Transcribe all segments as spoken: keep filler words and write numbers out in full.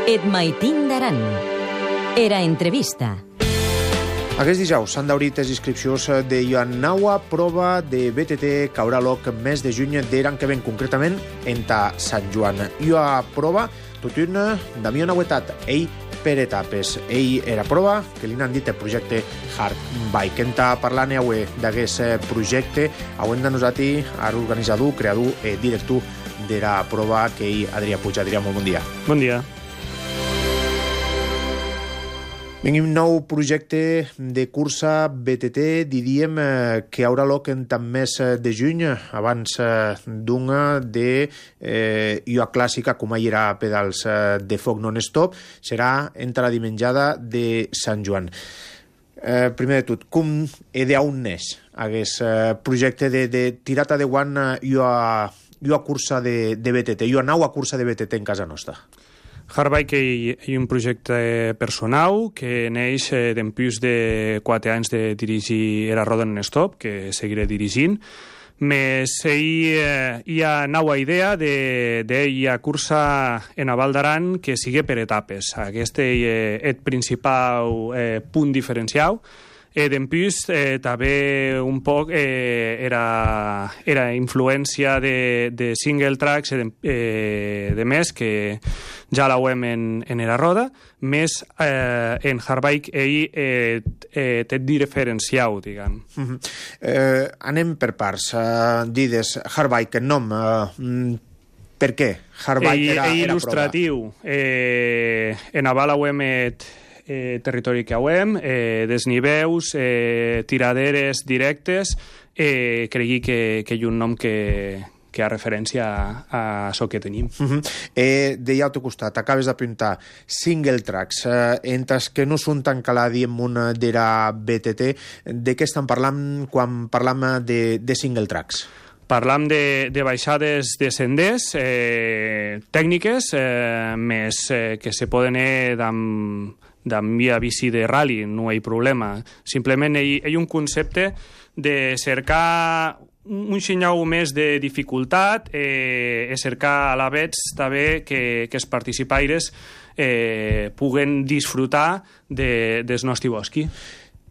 Et maitin d'aran. Era entrevista. Aquest dijous s'han d'obrir les inscripcions de la nova prova de B T T que haurà lloc el mes de juny d'Eran que ven, concretament enta Sant Joan. La prova, tot una, Damià Nauetat, ell per etapes. Ell era prova que li han dit el projecte Hard Bike. Enta parlant avui d'aquest projecte, avui de nosaltres, organitzador, creador i director de la prova que ell, Adrià Puig. Adrià, molt bon dia. Bon dia. Venim nou projecte de cursa B T T, diríem que haurà lloc en tant mes de juny, abans d'una de eh, ua clàssica, com ahir era pedals de foc non-stop, serà entre la dimenjada de Sant Joan. Eh, primer de tot, com he d'on neix aquest eh, projecte de, de tirata de guant ua, ua cursa de, de B T T, ua nova cursa de B T T en casa nostra? Hard Bike és un projecte personal que neix d'empús de quatre anys de dirigir la roda non-stop, que seguiré dirigint, més hi ha nova idea de, de la cursa en a Val d'Aran que sigui per etapes. Aquest és el principal eh, punt diferencial. Eh, D'empús eh, també un poc eh, era, era influència de, de single tracks de, eh, de més que ja la veiem en, en la roda, més eh, en Hard Bike ell eh, eh, té diferenciau, diguem. Uh -huh. eh, anem per parts. Uh, dides, Hard Bike, el nom, uh, per què? Hard Bike era, ell, era il·lustratiu. Eh, en Aval veiem eh, territori que veiem, eh, desniveus, eh, tiraderes directes, eh, cregui que, que hi ha un nom que... que ha referència a, a això que tenim. Uh -huh. eh, de al teu costat, acabes d'apuntar single tracks, eh, entre que no són tan caladi en una de la B T T, de què estan parlant quan parlam de, de single tracks? Parlam de, de baixades descendents, eh, tècniques, eh, més eh, que se poden anar amb, amb via bici de rally, no hi ha problema. Simplement hi ha un concepte de cercar un xinyau més de dificultat, eh, cercar a la vegada també que, que els participaires eh, puguen disfrutar de, del nostre bosc.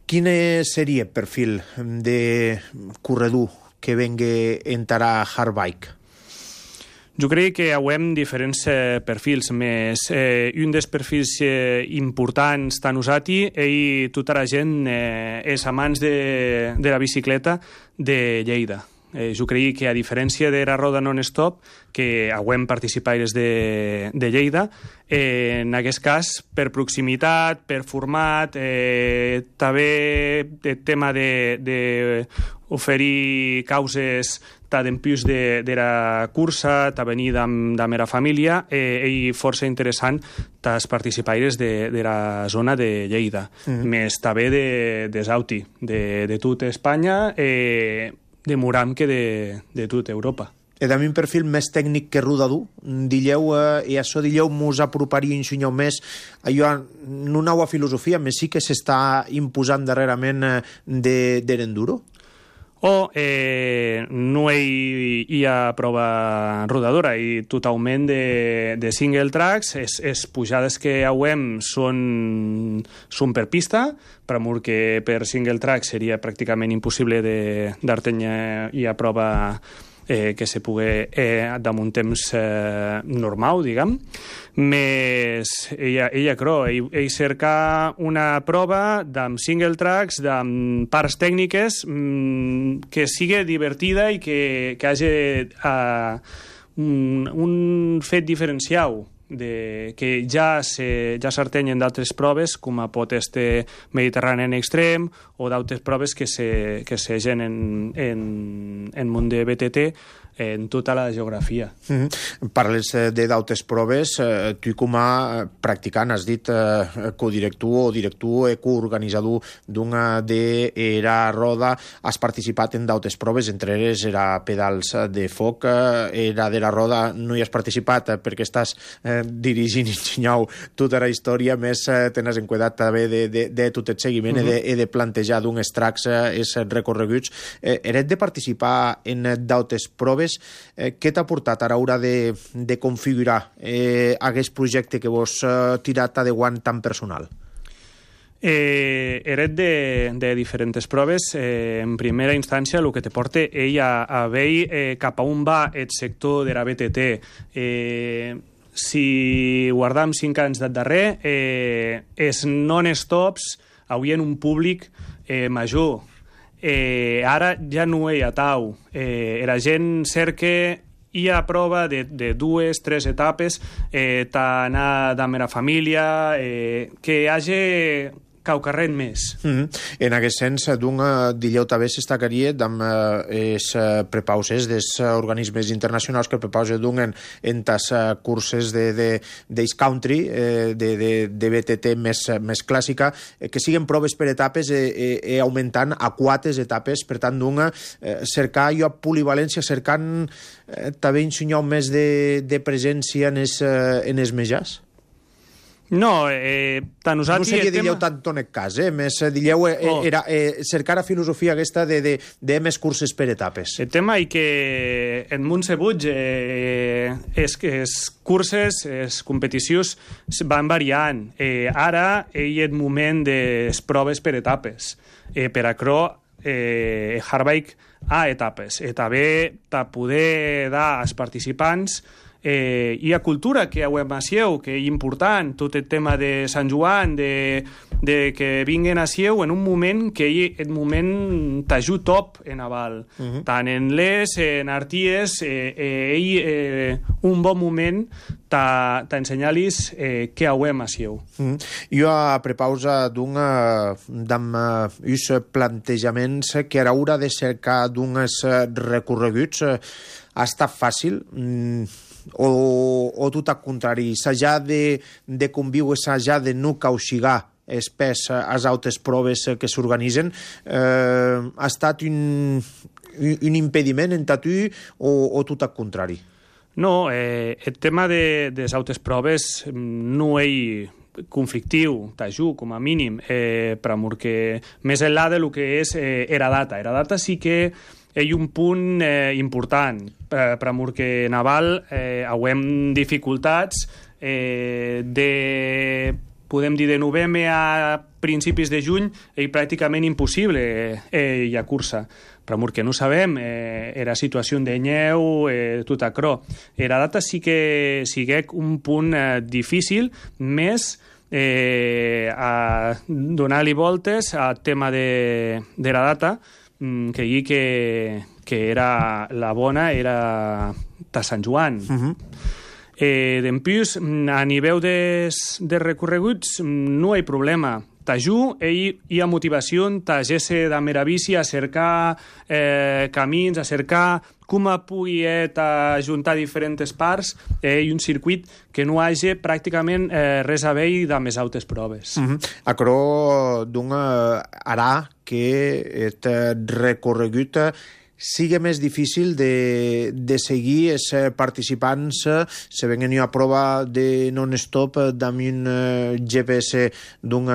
Quin seria el perfil de corredor que vengui entrar a Hard Bike? Jo crec que veiem diferents eh, perfils, més eh, un dels perfils eh, importants tant usati, ell, tota la gent eh, és amants de, de la bicicleta de Lleida. Eh, jo crec que a diferència de la roda non-stop, que veiem participaires de, de Lleida, eh, en aquest cas, per proximitat, per format, eh, també el tema de, de oferir causes d'empús de, de la cursa, de venir amb, amb la família, eh, i força interessant dels participaires de, de la zona de Lleida. Mm. Més també de, de Zauti, de, de tota Espanya, eh, de Muram que de, de tota Europa. És també un perfil més tècnic que rodador. Dilleu, eh, i això dilleu mos aproparia un xinyau més a una nova filosofia, més sí que s'està imposant darrerament eh, de, de l'enduro? O eh, no hi, hi ha prova rodadora i totalment de, de single tracks. Les, les pujades que veiem són, són per pista, per amor que per single track seria pràcticament impossible d'artenya i a prova eh, que se pugui eh, damunt temps eh, normal, diguem. Més ella, ella creu, ell, ell cerca una prova amb single tracks, amb parts tècniques, mmm, que sigui divertida i que, que hagi uh, un, un fet diferencial de, que ja se, ja s'artenyen d'altres proves, com a pot este Mediterrani en extrem, o d'altres proves que se, que se gen en, en, en món de B T T, en tota la geografia. Mm-hmm. Parles de d'altres proves. Eh, tu com a practicant has dit eh, codirector o director o coorganitzador d'una de la roda, has participat en d'altres proves, entre elles era pedals de foc, eh, era de la roda no hi has participat eh, perquè estàs eh, dirigint i ensenyau tota la història, més eh, tens en cuidat també de, de, de tot el seguiment mm-hmm. i de, de plantejar d'uns tracks eh, els recorreguts. Eh, eres de participar en d'altres proves proves, eh, què t'ha portat a l'hora de, de configurar eh, aquest projecte que vos eh, tirat adeuant tan personal? Eh, eret de, de diferents proves. Eh, en primera instància, el que te porta ell a, a veure eh, cap a on va el sector de la B T T. Eh, si guardam cinc anys de darrer, eh, els non-stops havien un públic eh, major. Eh, ara ja no hi ha tau. Eh, la gent cerca hi ha prova de, de dues, tres etapes, eh, d'anar amb la família, eh, que hi hagi caucarret més. Mm-hmm. En aquest sens, d'un dileu també s'estacaria amb els eh, prepauses dels organismes internacionals que prepausen d'un en, en tas eh, curses de, de, d'Ace Country, eh, de, de, de B T T més, més clàssica, eh, que siguen proves per etapes eh, eh, augmentant a quatre etapes, per tant, d'un eh, cercar jo polivalència, cercant eh, també ensenyar més de, de presència en els, eh, en els metges? No, eh, tant nosaltres... No seria, tema... dilleu, tant en aquest cas, eh? Més, dilleu, eh, oh. era eh, cercar la filosofia aquesta de, de, de més curses per etapes. El tema és que en Montsebuig eh, és que les curses, les competicions van variant. Eh, ara hi ha el moment de les proves per etapes. Eh, per acrò, eh, Hardbike a etapes. Eh, també per poder dar als participants Eh, hi ha cultura que a Sieu, que és important, tot el tema de Sant Joan, de, de que vinguen a Sieu en un moment que hi el moment t'ajut top en aval. Uh-huh. Tant en les, en arties, eh, eh, ell, eh, un bon moment t'ensenyar-los eh, què hauem a Sieu. Uh-huh. Jo a prepausa d'un d'uns plantejaments que a l'hora de cercar d'uns recorreguts eh, ha estat fàcil, mm, o, o tot al contrari, s'ha de, de conviure, s'ha de no cauxigar espès a les altres proves que s'organitzen, eh, ha estat un, un impediment en tu o, o tot al contrari? No, eh, el tema de, de les altres proves no és conflictiu, t'ajut, com a mínim, eh, per amor que més enllà del que és eh, era data. Era data sí que hi ha un punt eh, important, per, per amor que Naval eh, hauem dificultats eh, de, podem dir, de novembre a principis de juny, és pràcticament impossible eh, hi ha cursa. Per amor que no sabem, eh, era situació de nyeu, eh, tot acrò. Era data sí que siguec un punt eh, difícil, més eh, a donar-li voltes al tema de, de la data, que hi que, que era la bona era de Sant Joan. Uh-huh. eh, D'empús, a nivell de, de recorreguts no hi ha problema. T'ajut, hi ha motivació, t'agesse de meravici a cercar eh, camins, a cercar com pugui ajuntar diferents parts eh, i un circuit que no hagi pràcticament eh, res a veure amb les altres proves. Uh-huh. Acrò d'un harà que el recorregut sigui més difícil de, de seguir els participants se venien a prova de non-stop amb un G P S d'un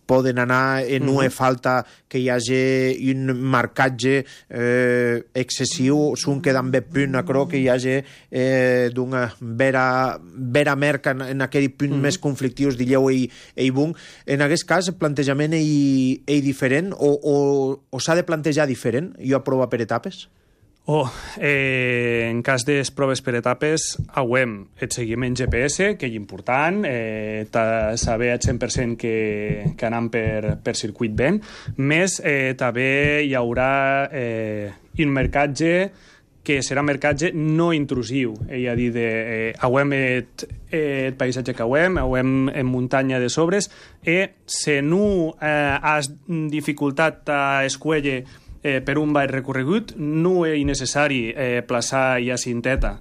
poden anar i no hi falta que hi hagi un marcatge eh, excessiu, són quedant bé punt, acrò que hi hagi eh, d'una vera, vera merca en, en aquell punt mm. més conflictius, dilleu i, i bun. En aquest cas, el plantejament és diferent o, o, o s'ha de plantejar diferent? Jo aprovo per etapes? Oh, eh, en cas de proves per etapes, hauem el seguiment G P S, que és important, eh, saber al cent per cent que, que anem per, per circuit ben, més eh, també hi haurà eh, un mercatge que serà mercatge no intrusiu, és a dir, de, eh, hauem el, el paisatge que hauem, hauem en muntanya de sobres, i si no eh, has dificultat a escuelle Eh, per un ball recorregut, no és necessari eh, plaçar ja cinteta.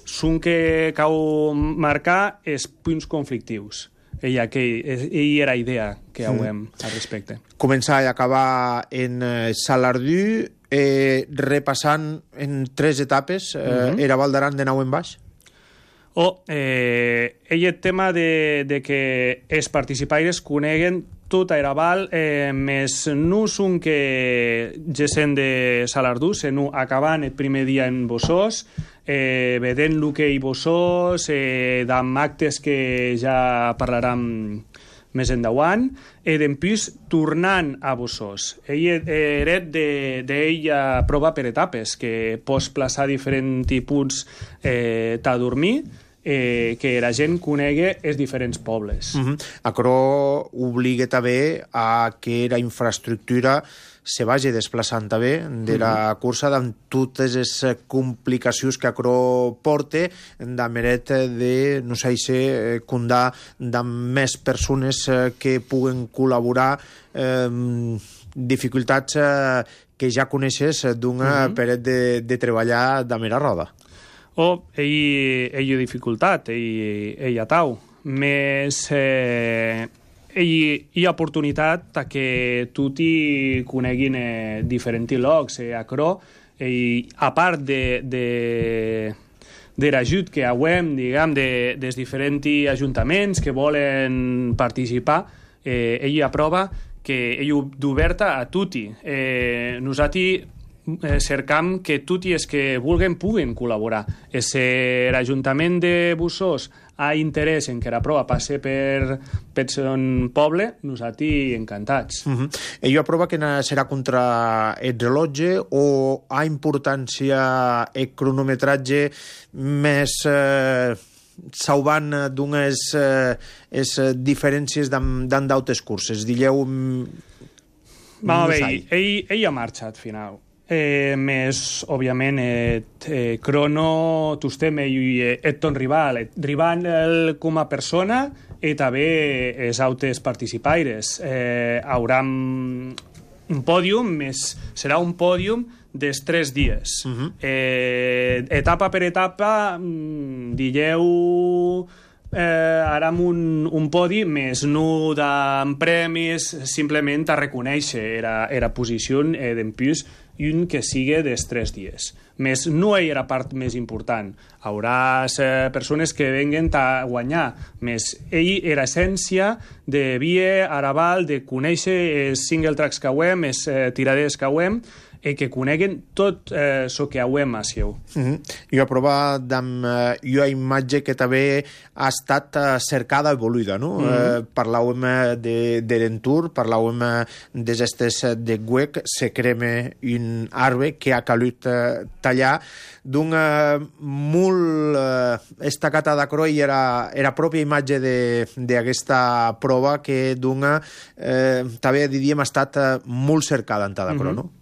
Són que cal marcar els punts conflictius. Ella que hi era idea que hauem mm. al respecte. Començar i acabar en eh, Salardú, eh, repassant en tres etapes, eh, mm-hmm. era Val d'Aran de nou en baix? O eh, ell el tema de, de que els participaires coneguen tot a Eraval, eh, més no són que gesen de Salardú, sinó acabant el primer dia en Bossós, eh, vedent el que hi Bossós, eh, d'amb actes que ja parlarem més endavant, i d'empús tornant a Bossós. Ell era d'ell a prova per etapes, que pots plaçar diferents punts eh, a dormir, eh, que la gent conegui els diferents pobles. Uh-huh. Aquerò obliga també a que la infraestructura se vagi desplaçant també de la cursa amb totes les complicacions que aquerò porta de meret de, no sé si, condar de més persones que puguen col·laborar, eh, dificultats eh, que ja coneixes d'una uh-huh. peret de, de treballar de mera roda. O ell, ell dificultat, ell, ell atau. Més... Eh, Hi, hi ha oportunitat que tutti coneguin eh, diferents llocs. Eh, acrò, eh, a part de, de, de l'ajut que hauem, diguem, de, dels diferents ajuntaments que volen participar, eh, ell aprova que ell d'oberta a tutti. Eh, nosaltres eh, cercam que tutti els que vulguen puguen col·laborar. Si l'Ajuntament de Bossós ha interès en que la prova passe per, per son poble, nosaltres encantats. Uh-huh. Ell aprova que serà contra el rellotge o ha importància el cronometratge més eh, salvant d'unes eh, diferències d'en d'altres curses? Digueu... Vamos a veure, ell, ell ha marxat final. Eh, més, òbviament, et, eh, crono, tostem ell et ton rival, et rival el, com a persona i també els altres participaires. Eh, haurà un pòdium, més serà un pòdium dels tres dies. Uh-huh. eh, etapa per etapa, digueu... Eh, ara amb un, un podi més no d'en premis, simplement a reconèixer era, era posició eh, d'empús i un que sigui dels tres dies. Més no hi era part més important. Haurà eh, persones que venguen a guanyar. Més ell era essència de Vie, Araval, de conèixer els single tracks que hauem, els eh, tirades que hauem, i que coneguen tot el eh, que hauem a seu. Uh-huh. Jo aprova amb uh, una imatge que també ha estat uh, cercada i voluda, no? Uh-huh. Uh, parlàvem de, de l'entur, parlàvem d'aquestes de Güec, se crema un arbre que ha calut uh, tallar d'una molt uh, estacata d'acrò i era, era pròpia imatge d'aquesta prova que d'una eh, també diríem ha estat uh, molt cercada en cada d'acrò, uh-huh. no?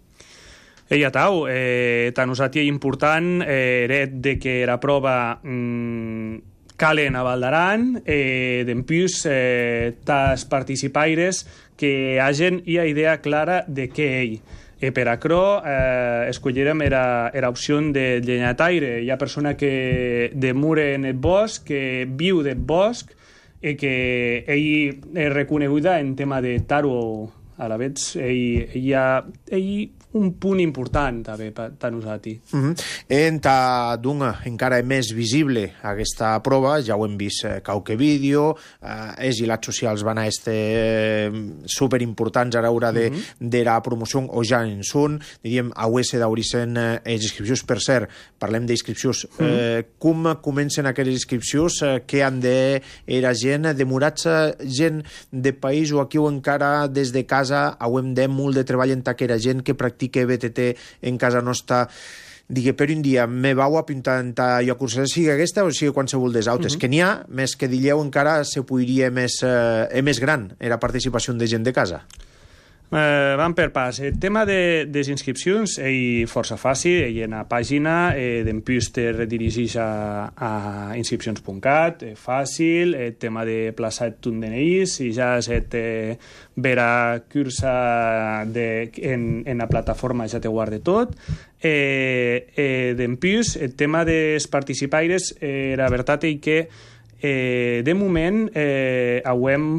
Ella tau, eh, tant nosaltres important eh, era de que la prova mm, calen a Val d'Aran, eh, d'empús eh, tas participaires que hagen una idea clara de què ell. E per aquerò eh, escollirem era, era opció de llenyataire. Hi ha persona que demura en el bosc, que viu del bosc, i que ell és reconeguda en tema de taro a la vez. Ell, ell, ell un punt important també per a nosaltres. Uh-huh. En ta d'una encara més visible aquesta prova, ja ho hem vist eh, qualque vídeo, eh, els hilats socials van a este eh, superimportants a l'hora de, uh-huh. de la promoció, o ja en són, diríem, a U S d'Auricen eh, les inscripcions, per cert, parlem d'inscripcions, uh-huh. eh, com comencen aquelles inscripcions, eh, què han de era gent, demorar-se gent de país o aquí o encara des de casa, hauem de molt de treball en aquella gent que practica que B T T en casa nostra, digui, per un dia me vau apuntar en ta jo cursa, sigui aquesta o sigui qualsevol des altres, uh-huh. que n'hi ha, més que dilleu encara se podria més, eh, més gran era participació de gent de casa. Eh, vam per pas. El tema de, de les inscripcions és força fàcil. Ell en la pàgina eh, d'empús te redirigeix a, a inscripcions punt cat, és fàcil. El tema de plaçar ton D N I, si ja et eh, vera cursa de, en, en la plataforma ja te guarda tot. Eh, eh, d'empús, el tema dels participaires, eh, la veritat és que eh, de moment eh, hauem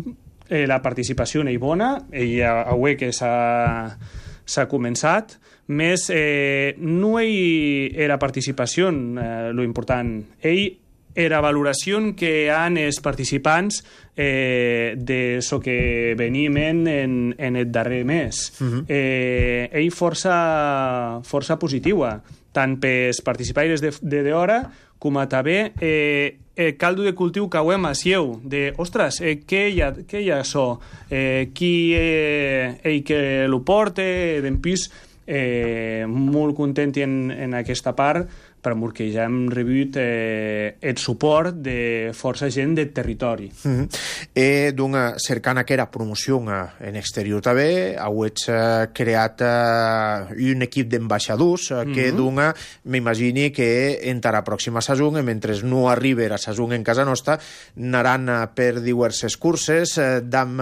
Eh, la participació és bona, ella avui que s'ha començat, més eh, no hi era participació, eh, lo important. Ell era valoració que han els participants eh, de so que venim en, en, en el darrer mes. Uh-huh. eh, ell força, força positiva, tant pels participants de, de d'hora com a també eh, el caldo de cultiu que ho hem a sieu, de, ostres, eh, què hi ha, què hi ha això? Eh, qui eh, ell que lo porta, d'en pis, eh, molt content en, en aquesta part, perquè ja hem rebut eh, el suport de força gent del territori. Mm-hmm. E dunga, cercant aquera promoció en exterior també, heu eh, creat eh, un equip d'ambaixadors eh, que mm-hmm. dunga, m'imagini que en la pròxima saison, mentre no arribi la saison en casa nostra, anaran eh, per diverses curses, eh, d'am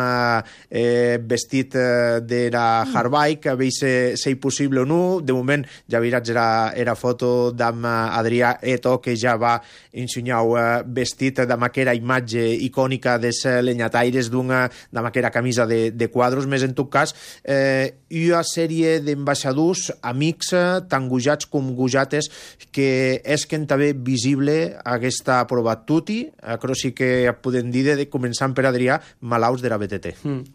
eh, vestit eh, de la hardbike, a veure si és possible o no. De moment ja veuràs era, era foto d'am Adrià Eto, que ja va ensenyar uh, vestit amb aquella imatge icònica dels lenyataires d'una amb aquella camisa de, de quadros. Més en tot cas, eh, una sèrie d'ambaixadors, amics, tant gujats com gujates, que és que també visible aquesta prova tutti, però sí que podem dir, de, començant per Adrià, malalts de la B T T. Mm.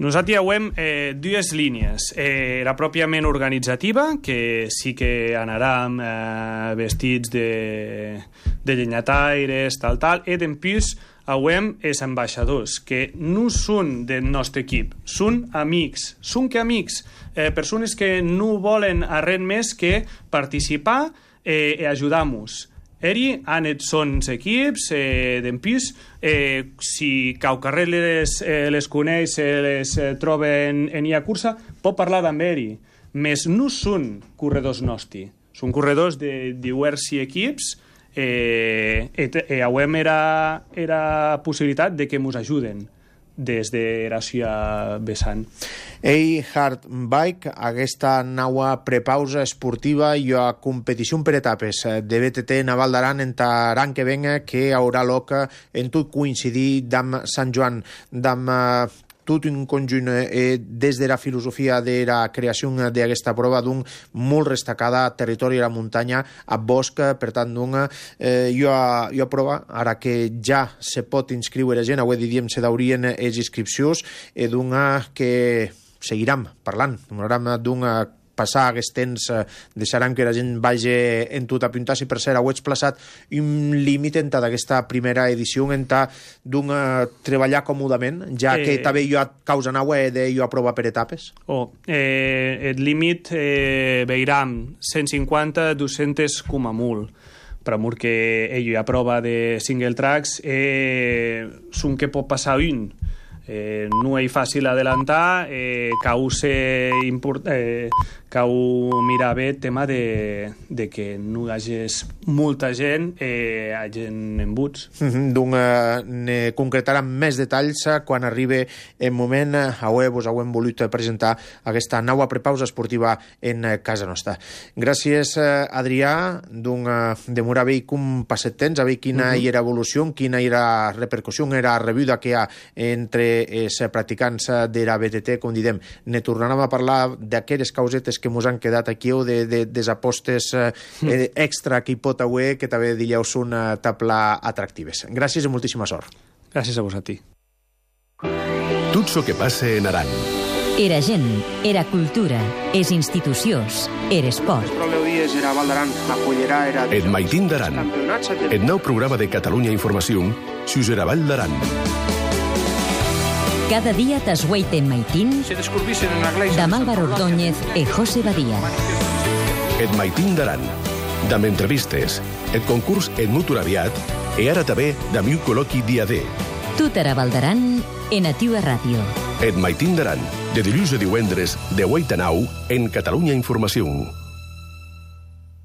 Nosaltres hem eh, dues línies. Eh, la pròpiament organitzativa, que sí que anarem eh, vestits de, de llenyataires, tal, tal, i en plus hem els ambaixadors, que no són del nostre equip, són amics, són que amics, eh, persones que no volen a res més que participar eh, i ajudar-nos. Eri han et sons equips eh, d'en pis, eh, si cau carrer les, eh, les coneix, eh, les eh, troben en ia cursa, pot parlar amb eri. Més no són corredors nostri, són corredors de diversos equips, eh, i eh, avem era, era possibilitat de que ens ajuden des de la seva vessant. Ei, Hard Bike, aquesta nova prepausa esportiva i a competició per etapes de B T T Naval d'Aran en l'any que venga, que haurà lloc en tot coincidir amb Sant Joan, amb tot un conjunt eh, des de la filosofia de la creació d'aquesta prova d'un molt destacada territori de la muntanya a bosc, per tant d'una eh, jo, jo prova, ara que ja se pot inscriure gent, avui diríem se daurien les inscripcions, i d'una que seguirem parlant, d'una passar aquest temps, eh, deixarem que la gent vagi en tot a pintar. Si per cert heu explaçat un límit en d'aquesta primera edició, en d'un treballar còmodament, ja eh, que també jo a causa nau he de jo aprovar per etapes? Oh, eh, el límit eh, veurem cent cinquanta a dues-centes com a molt, però amor que ell a prova de single tracks eh, són que pot passar un. Eh, no és fàcil adelantar, eh, cau ser import, eh, cau mirar bé el tema de, de que no hi hagi molta gent, eh, hi gent en buts. Mm-hmm. Donc, eh, concretarem més detalls quan arribi el moment. Avui vos hem volut presentar aquesta nova prepausa esportiva en casa nostra. Gràcies, Adrià. Donc, demorar bé com passet temps, a veure quina mm-hmm. era evolució, quina era repercussió, era rebuda que hi ha entre els practicants de la B T T. Com diem, ne tornarem a parlar d'aquelles causetes que ens han quedat aquí, o de, de, des apostes eh, mm. extra que hi pot haver, que també dieu són uh, tapla atractives. Gràcies i moltíssima sort. Gràcies a vos a ti. Tot so que passa en Aran. Era gent, era cultura, és institucions, era esport. Et Maitín d'Aran. Et nou programa de Catalunya Informació, sus era Vall d'Aran. Cada dia t'esgueite en Maitín, amb Álvaro Ordóñez i José Badía. Et Maitín d'Aran, d'am entrevistes, et concurs et mutur aviat, i ara també d'am un col·loqui dia D. Tot era Val d'Aran, en Ativa Ràdio. Et Maitín d'Aran, de dilluns a divendres, de vuit a nou, en Catalunya Informació.